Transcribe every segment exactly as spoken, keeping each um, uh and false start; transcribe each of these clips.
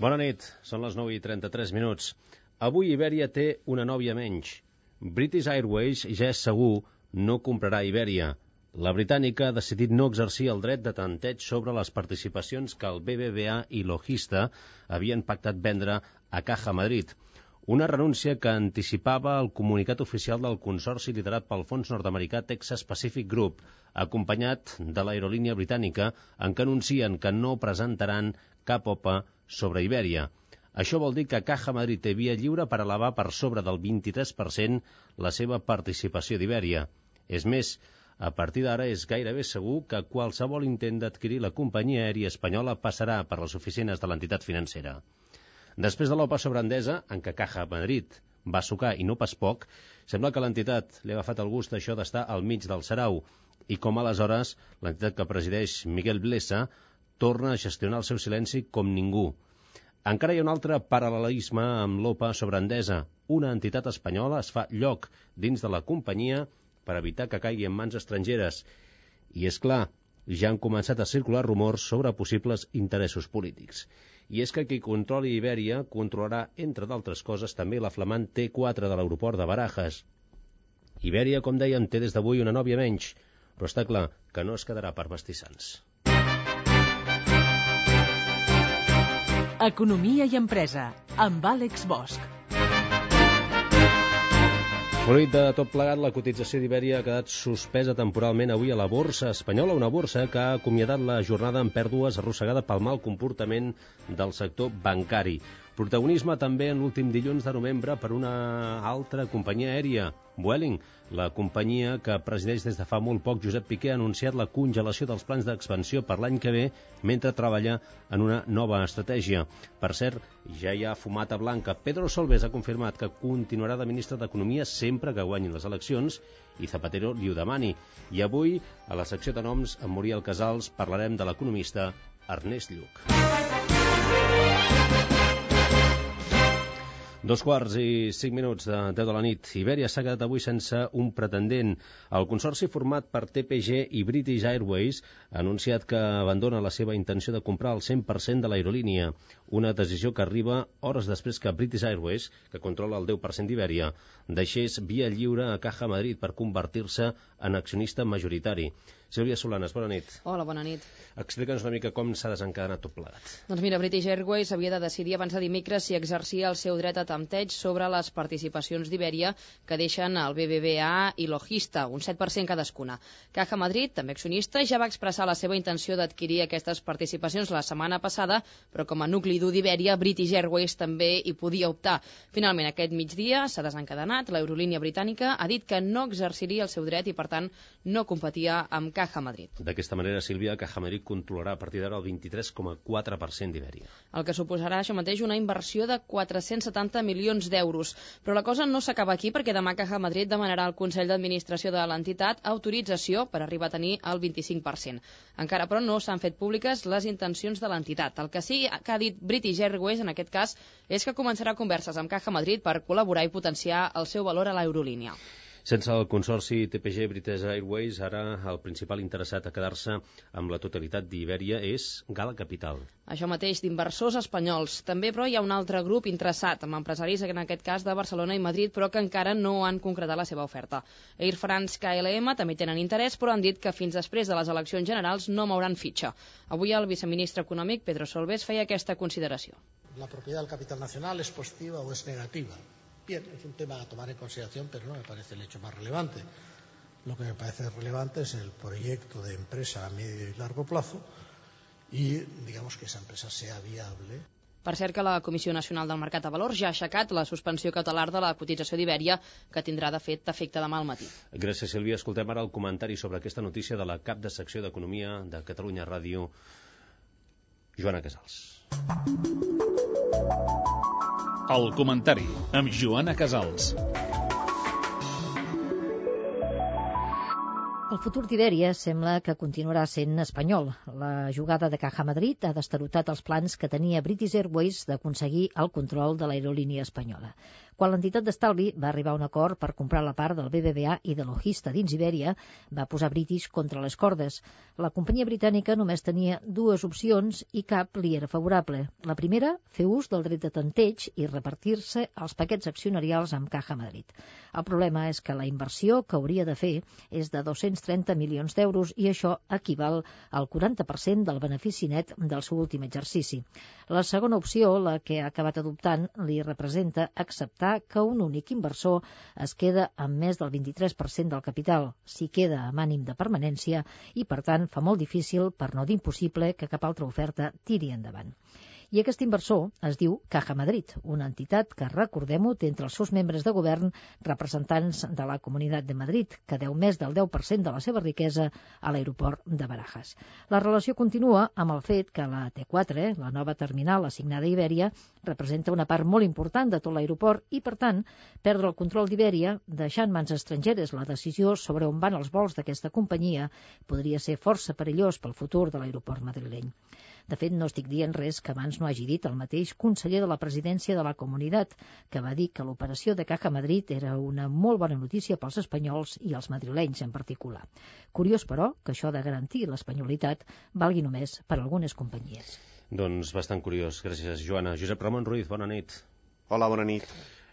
Bona nit, són les nou i trenta-tres minuts. Avui Ibèria té una nòvia menys. British Airways ja és segur no comprarà Ibèria. La britànica ha decidit no exercir el dret de tanteig sobre les participacions que el B B V A i Logista havien pactat vendre a Caja Madrid. Una renúncia que anticipava el comunicat oficial del consorci liderat pel fons nord-americà Texas Pacific Group, acompanyat de l'aerolínia britànica, en què anuncien que no presentaran cap O P A sobre Ibèria. Això vol dir que Caja Madrid té via lliure per elevar per sobre del vint-i-tres per cent la seva participació d'Ibèria. És més, a partir d'ara és gairebé segur que qualsevol intent d'adquirir la companyia aèria espanyola passarà per les oficines de l'entitat financera. Després de l'O P A sobre Endesa, en què Caja Madrid va sucar i no pas poc, sembla que l'entitat li ha agafat el gust això d'estar al mig del sarau i com aleshores l'entitat que presideix Miguel Blesa torna a gestionar el seu silenci com ningú. Encara hi ha un altre paral·lelisme amb l'O P A sobre Endesa. Una entitat espanyola es fa lloc dins de la companyia per evitar que caigui en mans estrangeres. I és clar, ja han començat a circular rumors sobre possibles interessos polítics. I és que qui controli Ibèria controlarà, entre d'altres coses, també la flamant T quatre de l'aeroport de Barajas. Ibèria, com dèiem, té des d'avui una nòvia menys, però està clar que no es quedarà per mastissants. Economia i empresa, amb Àlex Bosch. Fruit de tot plegat, la cotització d'Ibèria ha quedat suspesa temporalment avui a la borsa espanyola, una borsa que ha acomiadat la jornada amb pèrdues arrossegada pel mal comportament del sector bancari. Protagonisme també en l'últim dilluns de novembre per una altra companyia aèria, Vueling. La companyia que presideix des de fa molt poc Josep Piqué ha anunciat la congelació dels plans d'expansió per l'any que ve mentre treballa en una nova estratègia. Per cert, ja hi ha fumata blanca. Pedro Solbes ha confirmat que continuarà de ministre d'Economia sempre que guanyin les eleccions i Zapatero li ho demani. I avui, a la secció de noms, amb Muriel Casals, parlarem de l'economista Ernest Lluch. Dos quarts i cinc minuts de deu de la nit. Ibèria s'ha quedat avui sense un pretendent. El consorci format per T P G i British Airways ha anunciat que abandona la seva intenció de comprar el cent per cent de l'aerolínia. Una decisió que arriba hores després que British Airways, que controla el deu per cent d'Ibèria, deixés via lliure a Caja Madrid per convertir-se en accionista majoritari. Sílvia Solanes, bona nit. Hola, bona nit. Explica'ns una mica com s'ha desencadenat tot plegat. Doncs mira, British Airways havia de decidir abans de dimecres si exercia el seu dret a tempteig sobre les participacions d'Ibèria que deixen el B B V A i Logista, un set per cent cadascuna. Caja Madrid, també accionista, ja va expressar la seva intenció d'adquirir aquestes participacions la setmana passada, però com a nucli dur d'Ibèria, British Airways també hi podia optar. Finalment, aquest migdia s'ha desencadenat. L'aerolínia britànica ha dit que no exerciria el seu dret i, per tant, no competia amb Caja Madrid. D'aquesta manera, Sílvia, Caja Madrid controlarà a partir d'ara el vint-i-tres coma quatre per cent d'Ibèria. El que suposarà això mateix una inversió de quatre-cents setanta milions d'euros. Però la cosa no s'acaba aquí, perquè demà Caja Madrid demanarà al Consell d'Administració de l'entitat autorització per arribar a tenir el vint-i-cinc per cent. Encara, però, no s'han fet públiques les intencions de l'entitat. El que sí que ha dit British Airways, en aquest cas, és que començarà converses amb Caja Madrid per col·laborar i potenciar el seu valor a l'aerolínia. Sense el consorci T P G British Airways, ara el principal interessat a quedar-se amb la totalitat d'Ibèria és Gala Capital. Això mateix, d'inversors espanyols. També, però, hi ha un altre grup interessat, amb empresaris, en aquest cas, de Barcelona i Madrid, però que encara no han concretat la seva oferta. Air France, K L M també tenen interès, però han dit que fins després de les eleccions generals no mouran fitxa. Avui el viceministre econòmic, Pedro Solbes, feia aquesta consideració. La propietat del capital nacional és positiva o és negativa. Bien, es un tema a tomar en consideración, pero no me parece el hecho más relevante. Lo que me parece relevante es el proyecto de empresa a medio y largo plazo y, digamos, que esa empresa sea viable. Per cert que la Comissió Nacional del Mercat de Valors ja ha aixecat la suspensió cautelar de la cotització d'Ibèria, que tindrà de fet efecte demà al matí. Gràcies, Sílvia. Escoltem ara el comentari sobre aquesta notícia de la cap de secció d'Economia de Catalunya Ràdio, Joana Casals. El comentari amb Joana Casals. El futur d'Ibèria sembla que continuarà sent espanyol. La jugada de Caja Madrid ha destarotat els plans que tenia British Airways d'aconseguir el control de l'aerolínia espanyola. Quan l'entitat d'estalvi va arribar a un acord per comprar la part del B B V A i de Logista dins Ibèria, va posar British contra les cordes. La companyia britànica només tenia dues opcions i cap li era favorable. La primera, fer ús del dret de tanteig i repartir-se els paquets accionarials amb Caja Madrid. El problema és que la inversió que hauria de fer és de dos-cents trenta milions d'euros i això equival al quaranta per cent del benefici net del seu últim exercici. La segona opció, la que ha acabat adoptant, li representa acceptar que un únic inversor es queda amb més del vint-i-tres per cent del capital, si queda amb ànim de permanència i, per tant, fa molt difícil, per no dir impossible, que cap altra oferta tiri endavant. I aquest inversor es diu Caja Madrid, una entitat que, recordem-ho, té entre els seus membres de govern representants de la Comunitat de Madrid, que deu més del deu per cent de la seva riquesa a l'aeroport de Barajas. La relació continua amb el fet que la T quatre, la nova terminal assignada a Ibèria, representa una part molt important de tot l'aeroport i, per tant, perdre el control d'Ibèria, deixar en mans estrangeres la decisió sobre on van els vols d'aquesta companyia, podria ser força perillós pel futur de l'aeroport madrileny. De fet, no estic dient res que abans no hagi dit el mateix conseller de la presidència de la Comunitat, que va dir que l'operació de Caja Madrid era una molt bona notícia pels espanyols i els madrilenys en particular. Curiós, però, que això de garantir l'espanyolitat valgui només per a algunes companyies. Doncs bastant curiós. Gràcies, Joana. Josep Ramon Ruiz, bona nit. Hola, bona nit.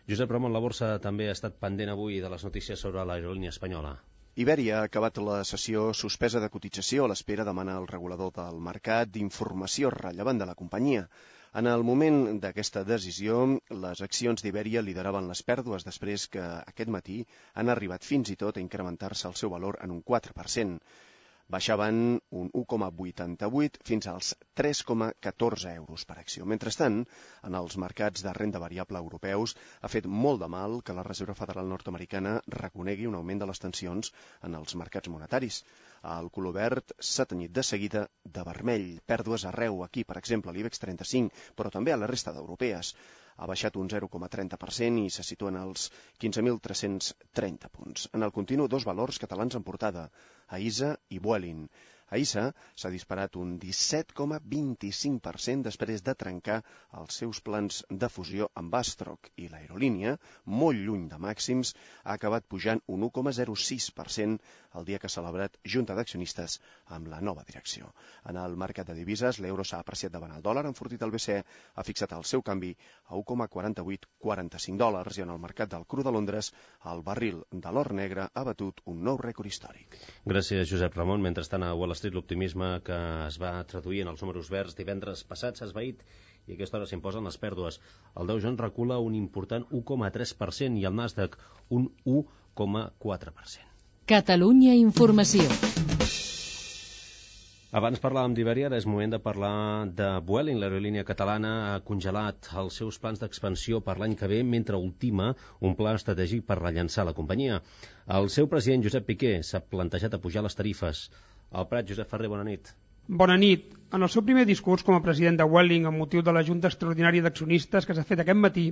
Josep Ramon, la borsa també ha estat pendent avui de les notícies sobre l'aerolínia espanyola. Ibèria ha acabat la sessió suspesa de cotització a l'espera demanar al regulador del mercat d'informació rellevant de la companyia. En el moment d'aquesta decisió, les accions d'Ibèria lideraven les pèrdues després que aquest matí han arribat fins i tot a incrementar-se el seu valor en un quatre per cent. Baixaven un u coma vuitanta-vuit fins als tres coma catorze euros per acció. Mentrestant, en els mercats de renda variable europeus ha fet molt de mal que la Reserva Federal nord-americana reconegui un augment de les tensions en els mercats monetaris. El color verd s'ha tenyit de seguida de vermell. Pèrdues arreu, aquí, per exemple, l'IBEX trenta-cinc, però també a la resta d'europees. Ha baixat un zero coma trenta per cent i se situen als quinze mil tres-cents trenta punts. En el continu, dos valors catalans en portada, Aisa i Vueling. Aisa s'ha disparat un disset coma vint-i-cinc per cent després de trencar els seus plans de fusió amb Astroc i l'aerolínia, molt lluny de màxims, ha acabat pujant un u coma zero sis per cent el dia que ha celebrat junta d'accionistes amb la nova direcció. En el mercat de divises, l'euro s'ha apreciat davant el dòlar, enfortit el B C E ha fixat el seu canvi a u coma quaranta-vuit quaranta cinc dòlars i en el mercat del cru de Londres el barril de l'or negre ha batut un nou rècord històric. Gràcies, Josep Ramon. Mentrestant, a Wall Street l'optimisme que es va traduir en els números verds divendres passat s'ha esvaït i a aquesta hora s'imposen les pèrdues. El Dow Jones recula un important u coma tres per cent i el Nasdaq un u coma quatre per cent. Catalunya Informació. Abans parlàvem d'Ibèria, ara és moment de parlar de Vueling. L'aerolínia catalana ha congelat els seus plans d'expansió per l'any que ve mentre ultima un pla estratègic per rellançar la companyia. El seu president, Josep Piqué, s'ha plantejat a pujar les tarifes. Al Prat, Josep Ferrer, bona nit. Bona nit. En el seu primer discurs com a president de Vueling amb motiu de la Junta Extraordinària d'Accionistes que s'ha fet aquest matí,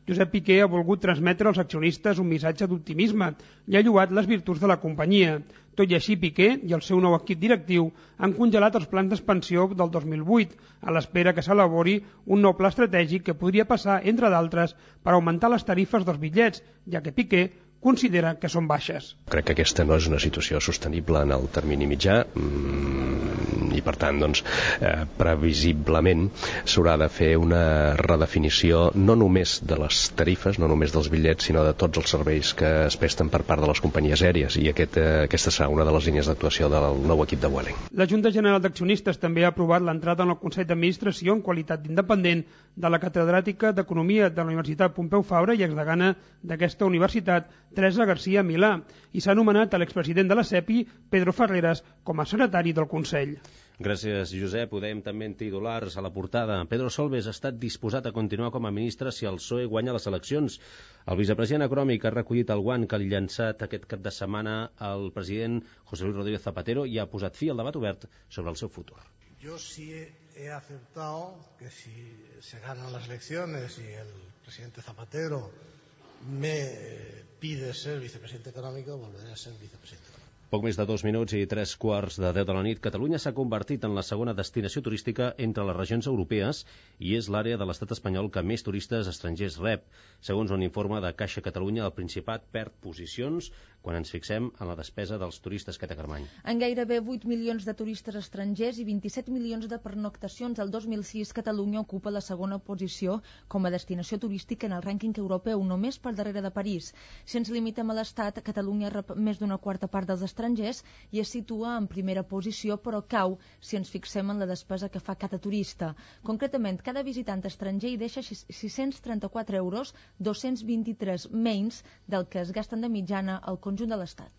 Josep Piqué ha volgut transmetre als accionistes un missatge d'optimisme i ha lloat les virtuts de la companyia. Tot i així, Piqué i el seu nou equip directiu han congelat els plans d'expansió del dos mil vuit a l'espera que s'elabori un nou pla estratègic que podria passar, entre d'altres, per augmentar les tarifes dels bitllets, ja que Piqué considera que són baixes. Crec que aquesta no és una situació sostenible en el termini mitjà mmm, i per tant doncs, eh, previsiblement s'haurà de fer una redefinició no només de les tarifes, no només dels bitllets, sinó de tots els serveis que es presten per part de les companyies aèries i aquest, eh, aquesta serà una de les línies d'actuació del nou equip de Vueling. La Junta General d'Accionistes també ha aprovat l'entrada en el Consell d'Administració en qualitat d'independent de la catedràtica d'Economia de la Universitat Pompeu Fabra i exdegana d'aquesta universitat, Teresa García Milà, i s'ha nomenat a l'expresident de la SEPI, Pedro Ferreras, com a secretari del Consell. Gràcies, Josep. Ho dèiem també en titulars a la portada. Pedro Solbes ha estat disposat a continuar com a ministre si el P S O E guanya les eleccions. El vicepresident econòmic ha recollit el guant que ha llançat aquest cap de setmana el president José Luis Rodríguez Zapatero i ha posat fi al debat obert sobre el seu futur. Yo sí he aceptado que si se ganan las elecciones y el presidente Zapatero me pide ser vicepresidente económico, volveré a ser vicepresidente económico. Poc més de dos minuts i tres quarts de deu de la nit, Catalunya s'ha convertit en la segona destinació turística entre les regions europees i és l'àrea de l'estat espanyol que més turistes estrangers rep. Segons un informe de Caixa Catalunya, el Principat perd posicions quan ens fixem en la despesa dels turistes que té Carmany. En gairebé vuit milions de turistes estrangers i vint-i-set milions de pernoctacions el dos mil sis, Catalunya ocupa la segona posició com a destinació turística en el rànquing europeu, només per darrere de París. Si ens limitem a l'Estat, Catalunya rep més d'una quarta part dels estrangers i es situa en primera posició, però cau si ens fixem en la despesa que fa cada turista. Concretament, cada visitant estranger hi deixa sis-cents trenta-quatre euros, dos-cents vint-i-tres menys del que es gasten de mitjana al conjunt de l'Estat.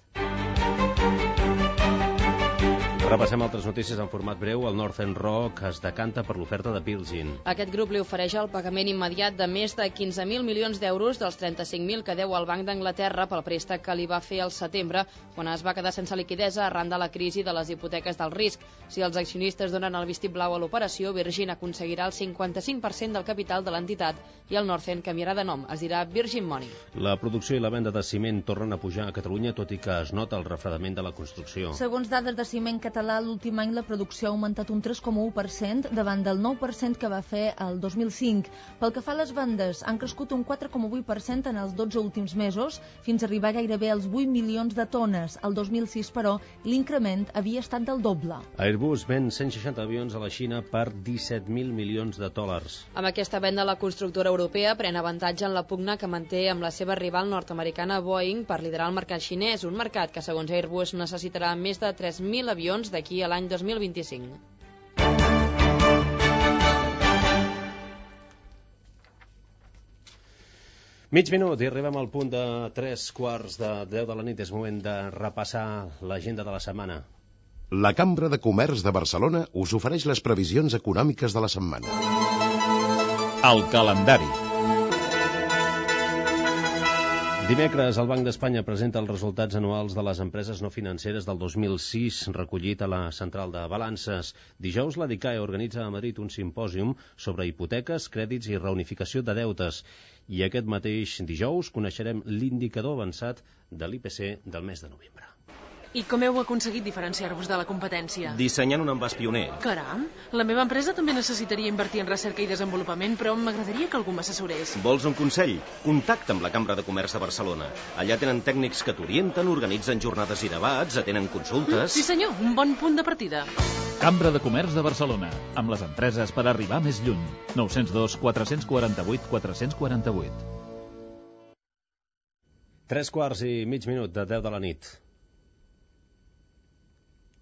Repassem altres notícies en format breu. El Northern Rock es decanta per l'oferta de Virgin. Aquest grup li ofereix el pagament immediat de més de quinze mil milions d'euros dels trenta-cinc mil que deu al Banc d'Anglaterra pel préstec que li va fer al setembre, quan es va quedar sense liquidesa arran de la crisi de les hipoteques del risc. Si els accionistes donen el vistiplau a l'operació, Virgin aconseguirà el cinquanta-cinc per cent del capital de l'entitat i el Northern canviarà de nom. Es dirà Virgin Money. La producció i la venda de ciment tornen a pujar a Catalunya, tot i que es nota el refredament de la construcció. Segons dades de Ciment Català, l'últim any la producció ha augmentat un tres coma u per cent davant del nou per cent que va fer el dos mil cinc. Pel que fa a les vendes, han crescut un quatre coma vuit per cent en els dotze últims mesos, fins a arribar gairebé als vuit milions de tones. El dos mil sis, però, l'increment havia estat del doble. Airbus ven cent seixanta avions a la Xina per disset mil milions de dòlars. Amb aquesta venda, la constructora europea pren avantatge en la pugna que manté amb la seva rival nord-americana Boeing per liderar el mercat xinès, un mercat que, segons Airbus, necessitarà més de tres mil avions d'aquí a l'any dos mil vint-i-cinc. Mig minut i arribem al punt de tres quarts de deu de la nit. És moment de repassar l'agenda de la setmana. La Cambra de Comerç de Barcelona us ofereix les previsions econòmiques de la setmana. El calendari. Dimecres, el Banc d'Espanya presenta els resultats anuals de les empreses no financeres del dos mil sis, recollit a la Central de Balances. Dijous, la DICAE organitza a Madrid un simpòsium sobre hipoteques, crèdits i reunificació de deutes. I aquest mateix dijous coneixerem l'indicador avançat de l'I P C del mes de novembre. I com heu aconseguit diferenciar-vos de la competència? Dissenyant un envàs pioner. Caram, la meva empresa també necessitaria invertir en recerca i desenvolupament, però m'agradaria que algú m'assessorés. Vols un consell? Contacta amb la Cambra de Comerç de Barcelona. Allà tenen tècnics que t'orienten, organitzen jornades i debats, atenen consultes... Sí senyor, un bon punt de partida. Cambra de Comerç de Barcelona, amb les empreses per arribar més lluny. nou zero dos, quatre quatre vuit, quatre quatre vuit. Tres quarts i mig minut de deu de la nit.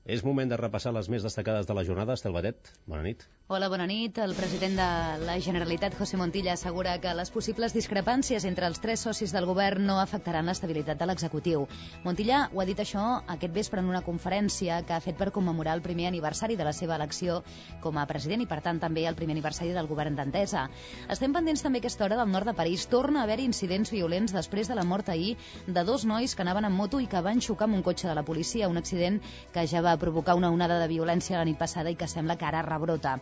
És moment de repassar les més destacades de la jornada. Estel Badet, bona nit. Hola, bona nit. El president de la Generalitat, José Montilla, assegura que les possibles discrepàncies entre els tres socis del govern no afectaran l'estabilitat de l'executiu. Montilla ho ha dit això aquest vespre en una conferència que ha fet per commemorar el primer aniversari de la seva elecció com a president i, per tant, també el primer aniversari del govern d'Entesa. Estem pendents també a aquesta hora del nord de París. Torna a haver incidents violents després de la mort ahir de dos nois que anaven en moto i que van xocar amb un cotxe de la policia, un accident que ja va provocar una onada de violència la nit passada i que sembla que ara rebrota.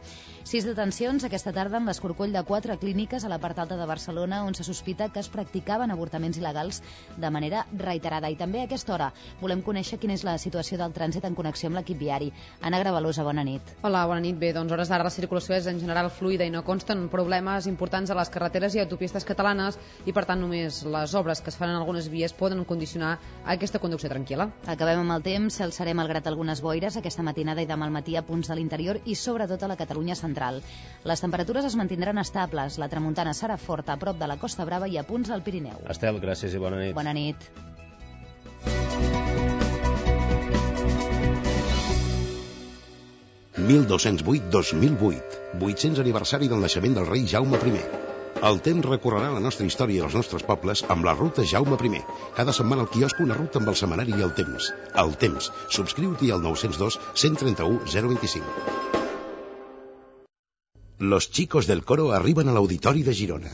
Sis detencions aquesta tarda en l'escorcoll de quatre clíniques a la part alta de Barcelona on se sospita que es practicaven avortaments il·legals de manera reiterada. I també a aquesta hora volem conèixer quina és la situació del trànsit en connexió amb l'equip viari. Anna Gravalosa, bona nit. Hola, bona nit. Bé, doncs hores d'ara la circulació és en general fluida i no consten problemes importants a les carreteres i autopistes catalanes i per tant només les obres que es fan en algunes vies poden condicionar aquesta conducció tranquil·la. Acabem amb el temps, alçaré malgrat algunes boires aquesta matinada i demà al matí a punts de l'interior i sobretot a la Catalunya central. Les temperatures es mantindran estables, la tramuntana serà forta a prop de la Costa Brava i a punts del Pirineu. Estel, gràcies i bona nit. Bona nit. mil dos-cents vuit dos mil vuit, vuit-cents aniversari del naixement del rei Jaume primer. El temps recorrerà la nostra història i els nostres pobles amb la ruta Jaume primer. Cada setmana al quiosc una ruta amb el setmanari i el temps. El temps. Subscriu-t'hi al nou zero dos, cent trenta-u, zero vint-i-cinc. Los chicos del coro arriben a l'Auditori de Girona.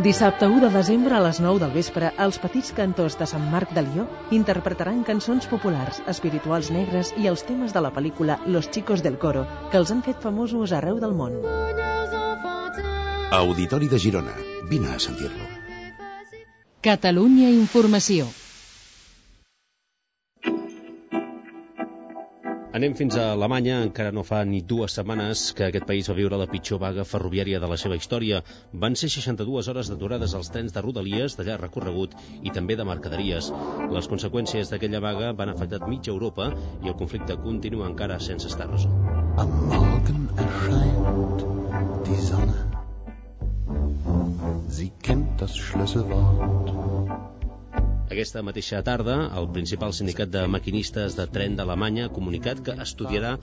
Dissabte u de desembre a les nou del vespre, els petits cantors de Sant Marc de Lió interpretaran cançons populars, espirituals negres i els temes de la pel·lícula Los chicos del coro, que els han fet famosos arreu del món. Auditori de Girona. Vine a sentir-lo. Catalunya Informació. Anem fins a Alemanya. Encara no fa ni dues setmanes que aquest país va viure la pitjor vaga ferroviària de la seva història. Van ser seixanta-dues hores d'aturades als trens de rodalies, de llarg recorregut i també de mercaderies. Les conseqüències d'aquella vaga van afectar mitja Europa i el conflicte continua encara sense estar resolt. Am Morgen erscheint die Sonne. Sie kennt das Schlüsselwort. Aquesta mateixa tarda, el principal sindicat de maquinistes de tren d'Alemanya ha comunicat que estudiarà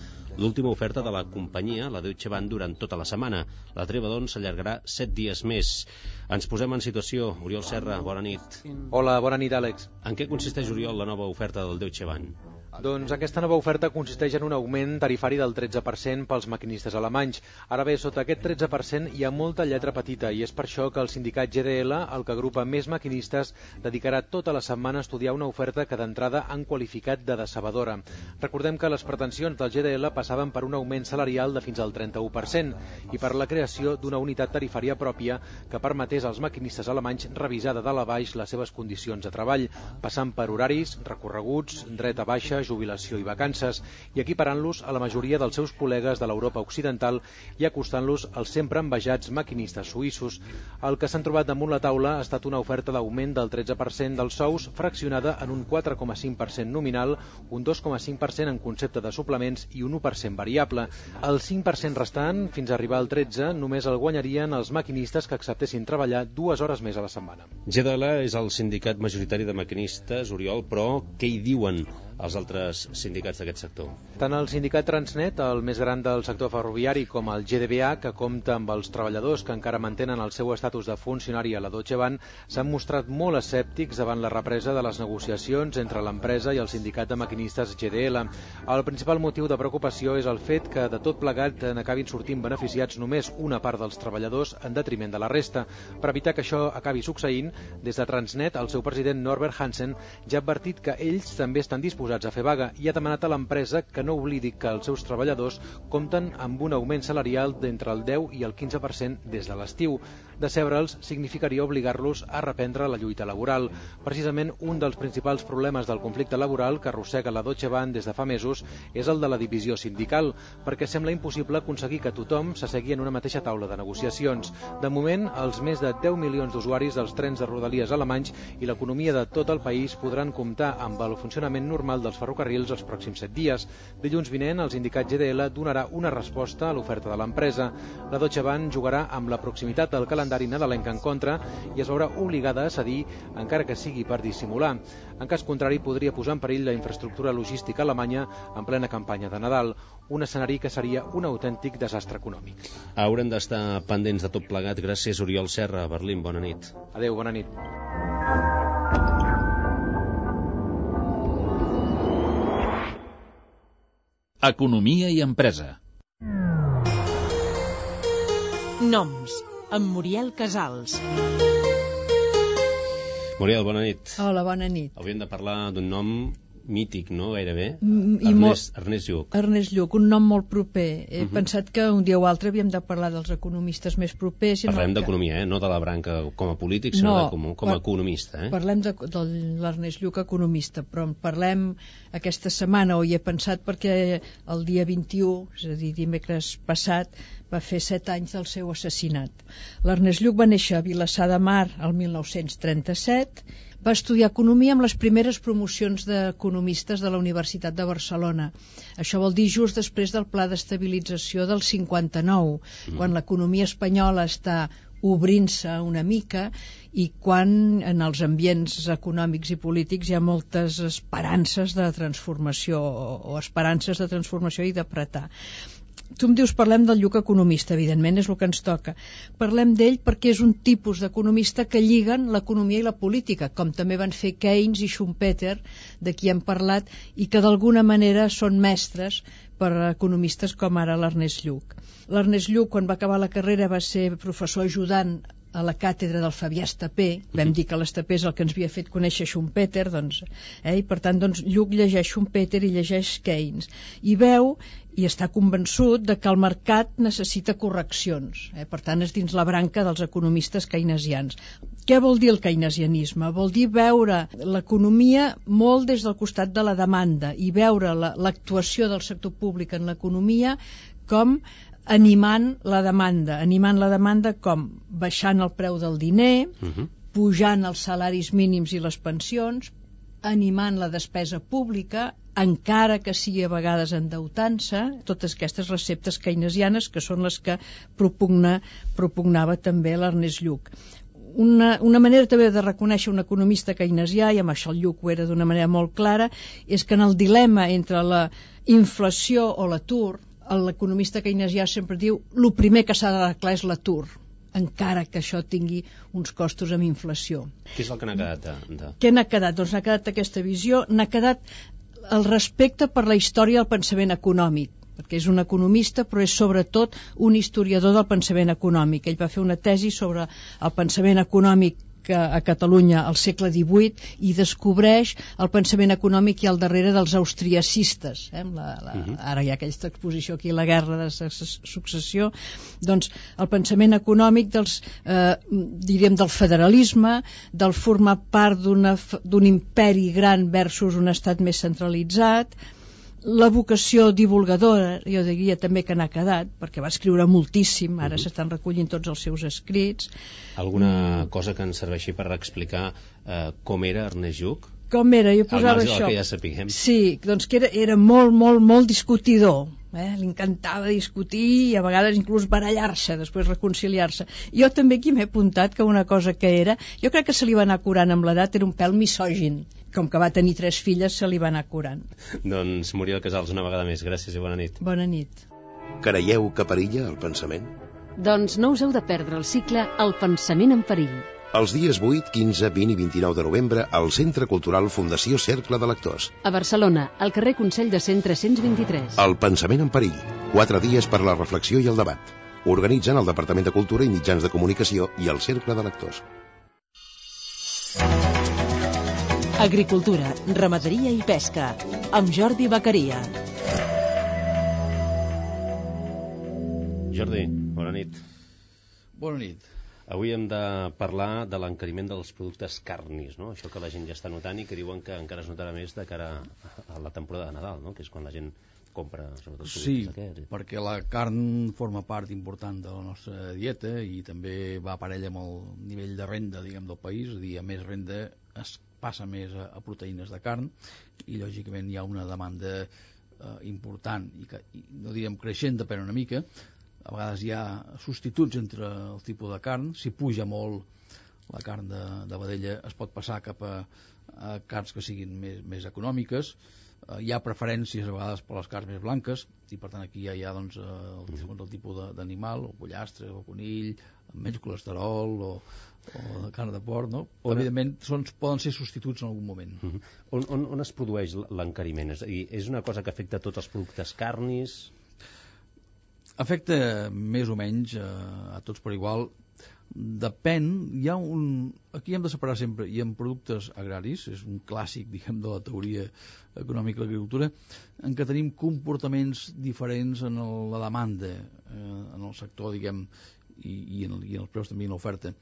l'última oferta de la companyia, la Deutsche Bahn, durant tota la setmana. La treva, doncs, s'allargarà set dies més. Ens posem en situació. Oriol Serra, bona nit. Hola, bona nit, Àlex. En què consisteix, Oriol, la nova oferta del Deutsche Bahn? Doncs aquesta nova oferta consisteix en un augment tarifari del tretze per cent pels maquinistes alemanys. Ara bé, sota aquest tretze per cent hi ha molta lletra petita i és per això que el sindicat G D L, el que agrupa més maquinistes, dedicarà tota la setmana a estudiar una oferta que d'entrada han qualificat de decebedora. Recordem que les pretensions del G D L passaven per un augment salarial de fins al trenta-u per cent i per la creació d'una unitat tarifària pròpia que permetés als maquinistes alemanys revisar de dalt a baix les seves condicions de treball, passant per horaris, recorreguts, dret a baixa, jubilació i vacances, i equiparant-los a la majoria dels seus col·legues de l'Europa occidental i acostant-los als sempre envejats maquinistes suïssos. El que s'han trobat damunt la taula ha estat una oferta d'augment del tretze per cent dels sous, fraccionada en un quatre coma cinc per cent nominal, un dos coma cinc per cent en concepte de suplements i un u per cent variable. El cinc per cent restant, fins a arribar al tretze, només el guanyarien els maquinistes que acceptessin treballar dues hores més a la setmana. G D L és el sindicat majoritari de maquinistes, Oriol, però què hi diuen els altres sindicats d'aquest sector? Tant el sindicat Transnet, el més gran del sector ferroviari, com el G D B A, que compta amb els treballadors que encara mantenen el seu estatus de funcionari a la Deutsche Bahn, s'han mostrat molt escèptics davant la represa de les negociacions entre l'empresa i el sindicat de maquinistes G D L. El principal motiu de preocupació és el fet que de tot plegat n'acabin sortint beneficiats només una part dels treballadors en detriment de la resta. Per evitar que això acabi succeint, des de Transnet, el seu president Norbert Hansen ja ha advertit que ells també estan disposats a fer vaga i ha demanat a l'empresa que no oblidi que els seus treballadors compten amb un augment salarial d'entre el deu i el quinze per cent des de l'estiu. Decebre'ls significaria obligar-los a reprendre la lluita laboral. Precisament un dels principals problemes del conflicte laboral que arrossega la Deutsche Bahn des de fa mesos és el de la divisió sindical, perquè sembla impossible aconseguir que tothom s'assegui en una mateixa taula de negociacions. De moment, els més de deu milions d'usuaris dels trens de rodalies alemanys i l'economia de tot el país podran comptar amb el funcionament normal dels ferrocarrils els pròxims set dies. Dilluns vinent, el sindicat G D L donarà una resposta a l'oferta de l'empresa. La Deutsche Bahn jugarà amb la proximitat del calendari nadalenc en contra i es veurà obligada a cedir, encara que sigui per dissimular. En cas contrari, podria posar en perill la infraestructura logística alemanya en plena campanya de Nadal, un escenari que seria un autèntic desastre econòmic. Haurem d'estar pendents de tot plegat. Gràcies, Oriol Serra. Berlín, bona nit. Adéu, bona nit. Economia i empresa. Noms, amb Muriel Casals. Muriel, bona nit. Hola, bona nit. Hauríem de parlar d'un nom mític, no? Gairebé. Mm, i Ernest, molt... Ernest Lluch. Ernest Lluch, un nom molt proper. He uh Mhm. -huh. pensat que un dia o altre havíem de parlar dels economistes més propers. i Parlem no que- d'economia, eh? No de la branca com a polític, sinó No, de com, com a par- economista. Eh? Parlem de, de l'Ernest Lluch, economista, però en parlem aquesta setmana, o hi he pensat, perquè el dia vint-i-u, és a dir, dimecres passat, va fer set anys del seu assassinat. L'Ernest Lluch va néixer a Vilassar de Mar el mil nou-cents trenta-set, va estudiar economia amb les primeres promocions d'economistes de la Universitat de Barcelona. Això vol dir just després del pla d'estabilització del cinquanta-nou, mm. quan l'economia espanyola està obrint-se una mica i quan en els ambients econòmics i polítics hi ha moltes esperances de transformació o esperances de transformació i d'apretar. Tu em dius, parlem del Lluch economista, evidentment, és el que ens toca. Parlem d'ell perquè és un tipus d'economista que lliguen l'economia i la política, com també van fer Keynes i Schumpeter, de qui hem parlat, i que d'alguna manera són mestres per a economistes com ara l'Ernest Lluch. L'Ernest Lluch, quan va acabar la carrera, va ser professor ajudant a la càtedra del Fabià Estapé, vam dir que l'Estapé és el que ens havia fet conèixer Schumpeter, doncs, eh, i per tant doncs, Lluc llegeix Schumpeter i llegeix Keynes, i veu i està convençut de que el mercat necessita correccions, eh? Per tant és dins la branca dels economistes keynesians. Què vol dir el keynesianisme? Vol dir veure l'economia molt des del costat de la demanda i veure l'actuació del sector públic en l'economia com animant la demanda. Animant la demanda com? Baixant el preu del diner, uh-huh. pujant els salaris mínims i les pensions, animant la despesa pública, encara que sigui a vegades endeutant-se, totes aquestes receptes keynesianes que són les que propugna, propugnava també l'Ernest Lluch. Una, una manera també de reconèixer un economista keynesià, i amb això el Lluch ho era d'una manera molt clara, és que en el dilema entre la inflació o l'atur, l'economista keynesià sempre diu el primer que s'ha d'arreglar és l'atur, encara que això tingui uns costos amb inflació. Què és el que n'ha quedat? De, de... Què n'ha quedat? Doncs n'ha quedat aquesta visió, n'ha quedat el respecte per la història del pensament econòmic, perquè és un economista però és sobretot un historiador del pensament econòmic. Ell va fer una tesi sobre el pensament econòmic a Catalunya al segle divuit i descobreix el pensament econòmic i al darrere dels austriacistes. Eh? La, la, uh-huh. Ara hi ha aquesta exposició aquí, la guerra de successió. Doncs el pensament econòmic dels, eh, diríem, del federalisme, del formar part d'un imperi gran versus un estat més centralitzat, la vocació divulgadora, jo diria també que n'ha quedat, perquè va escriure moltíssim, ara uh-huh. s'estan recollint tots els seus escrits. Alguna mm. cosa que ens serveixi per explicar eh, com era Ernest Lluch? Com era? Jo posava al marge això. Del que ja sapiguem. Sí, doncs que era, era molt, molt, molt discutidor. Eh? Li encantava discutir i a vegades inclús barallar-se, després reconciliar-se. Jo també aquí m'he apuntat que una cosa que era, jo crec que se li va anar curant amb l'edat, era un pèl misògin. Com que va tenir tres filles, se li va anar curant. Doncs Muriel Casals, una vegada més, gràcies i bona nit. Bona nit. Creieu que perilla el pensament? Doncs no us heu de perdre el cicle El pensament en perill. Els dies vuit, quinze, vint i vint-i-nou de novembre al Centre Cultural Fundació Cercle de Lectors. A Barcelona, al carrer Consell de Cent tres-cents vint-i-tres. El pensament en perill. Quatre dies per la reflexió i el debat. Organitzen el Departament de Cultura i Mitjans de Comunicació i el Cercle de Lectors. Agricultura, ramaderia i pesca, amb Jordi Bacaria. Jordi, bona nit. Bona nit. Avui hem de parlar de l'encariment dels productes carnis, no? Això que la gent ja està notant i que diuen que encara es notarà més de cara a la temporada de Nadal, no? Que és quan la gent compra sobretot productes sí, aquests. Sí, perquè la carn forma part important de la nostra dieta i també va parella amb el nivell de renda, diguem, del país, és a dir, a més renda es passa més a, a proteïnes de carn i lògicament hi ha una demanda eh, important i, que, i no direm creixent, depèn una mica. A vegades hi ha substituts entre el tipus de carn. Si puja molt la carn de, de vedella es pot passar cap a, a carns que siguin més, més econòmiques. Uh, hi ha preferències a vegades per les carns més blanques i per tant aquí ja hi ha doncs, uh, el, segons el tipus d'animal, o pollastre o conill, amb menys colesterol o, o de carn de porc, no? Però, evidentment són, poden ser substituts en algun moment. Uh -huh. on, on, on es produeix l'encariment? És a dir, és una cosa que afecta tots els productes carnis? Afecta més o menys uh, a tots per igual. Depèn, hi ha un... Aquí hem de separar sempre, i en productes agraris, és un clàssic, diguem, de la teoria econòmica de l'agricultura, en què tenim comportaments diferents en el, la demanda, eh, en el sector, diguem, i, i, en, i en els preus també en l'oferta.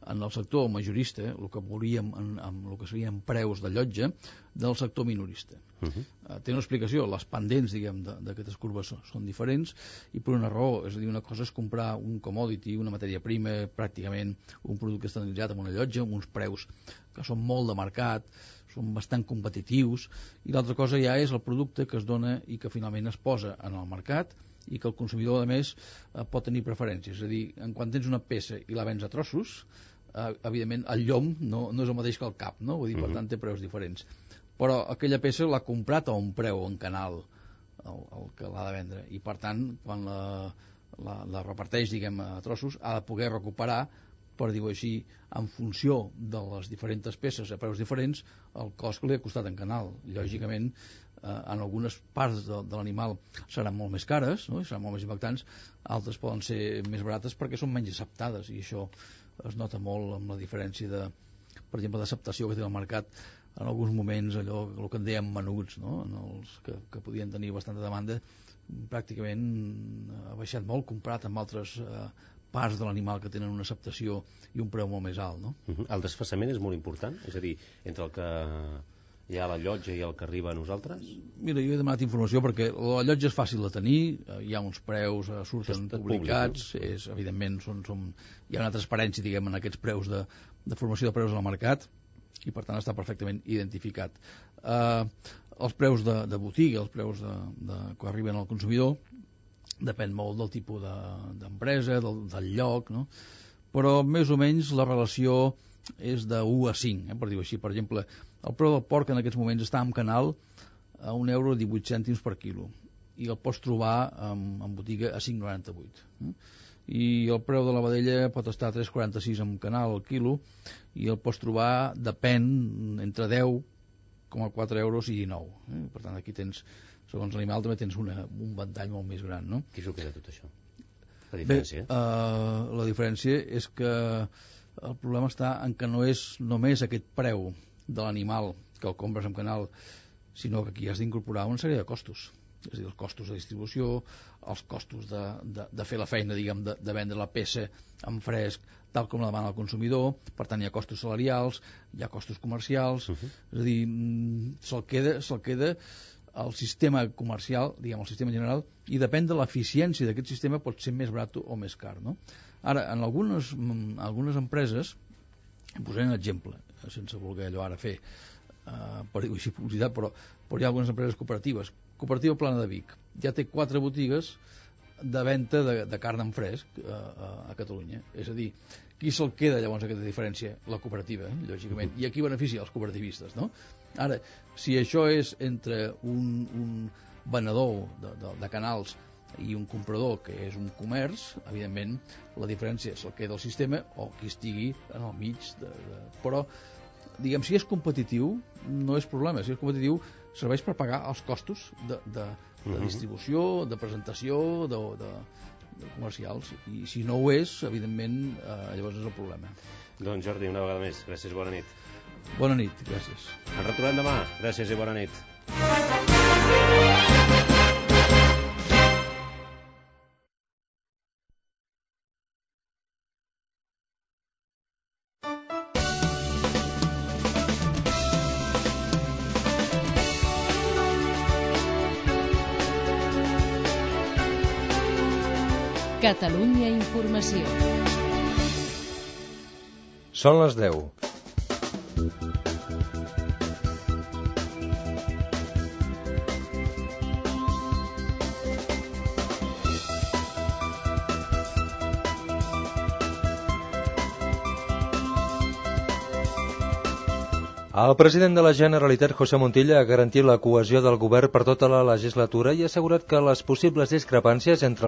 En el sector majorista, el que veuríem en, en el que serien preus de llotja, del sector minorista. Uh -huh. uh, té una explicació, les pendents, diguem, d'aquestes curves són, són diferents, i per una raó, és a dir, una cosa és comprar un commodity, una matèria prima, pràcticament un producte estandardizat amb una llotja, amb uns preus que són molt de mercat, són bastant competitius, i l'altra cosa ja és el producte que es dona i que finalment es posa en el mercat i que el consumidor, a més, eh, pot tenir preferències. És a dir, en quan tens una peça i la vens a trossos, eh, evidentment el llom no, no és el mateix que el cap, no? Vull dir, per tant té preus diferents. Però aquella peça l'ha comprat a un preu en canal el, el que l'ha de vendre, i per tant quan la, la, la reparteix, diguem, a trossos, ha de poder recuperar, per dir-ho així, en funció de les diferents peces a preus diferents, el cost que li ha costat en canal. Lògicament, en algunes parts de, de l'animal seran molt més cares, no? I seran molt més impactants, altres poden ser més barates perquè són menys acceptades, i això es nota molt amb la diferència de, per exemple, d'acceptació que té el mercat en alguns moments, allò el que en dèiem menuts, no? En els que, que podien tenir bastanta demanda, pràcticament ha baixat molt comparat amb altres eh, parts de l'animal que tenen una acceptació i un preu molt més alt, no? Uh-huh. El desfassament és molt important? És a dir, entre el que hi ha a la llotja i el que arriba a nosaltres? Mira, jo he demanat informació perquè la llotja és fàcil de tenir, hi ha uns preus, surten publicats, públic, no? és, evidentment són, són, hi ha una transparència, diguem, en aquests preus de, de formació de preus al mercat, i per tant està perfectament identificat. Eh, els preus de, de botiga, els preus de, de, que arriben al consumidor, depèn molt del tipus d'empresa, de, del, del lloc, no? Però més o menys la relació és de u a cinc, eh, per dir-ho així. Per exemple, el preu del porc en aquests moments està en canal a un euro divuit cèntims per quilo, i el pots trobar en, en botiga a cinc coma noranta-vuit. Eh? I el preu de la vedella pot estar a tres coma quaranta-sis en canal al quilo, i el pots trobar, depèn, entre deu coma quatre euros i dinou. Eh? Per tant, aquí tens, segons l'animal, també tens una, un ventall molt més gran, no? Qui s'ho queda tot això? La diferència? Bé, uh, la diferència és que el problema està en que no és només aquest preu de l'animal que el compres en canal, sinó que aquí has d'incorporar una sèrie de costos. És a dir, els costos de distribució, els costos de, de, de fer la feina, diguem, de, de vendre la peça en fresc, tal com la demana el consumidor. Per tant, hi ha costos salarials, hi ha costos comercials, uh-huh. És a dir, se'l queda, se'l queda el sistema comercial, diguem, el sistema general, i depèn de l'eficiència d'aquest sistema, pot ser més barat o més car, no? Ara, en algunes, algunes empreses, em posaré un exemple, sense voler allò ara fer, uh, per dir-ho així, publicitat, però, però hi ha algunes empreses cooperatives. Cooperativa Plana de Vic ja té quatre botigues de venda de, de carn en fresc uh, a Catalunya. És a dir, qui se'l queda llavors aquesta diferència? La cooperativa, eh, lògicament. I aquí beneficia els cooperativistes, no? Ara, si això és entre un, un venedor de, de, de canals i un comprador que és un comerç, evidentment la diferència se'l queda el sistema o qui estigui en el mig de, de... però diguem, si és competitiu no és problema, si és competitiu serveix per pagar els costos de, de, de distribució, de presentació de, de, de comercials, i si no ho és, evidentment eh, llavors és el problema. Doncs Jordi, una vegada més, gràcies, bona nit. Bona nit, gràcies. Ens retrobem demà, gràcies i bona nit. Catalunya Informació. Són les deu. El president de la Generalitat, José Montilla, ha garantit la cohesió del govern per tota la legislatura i ha assegurat que les possibles discrepàncies entre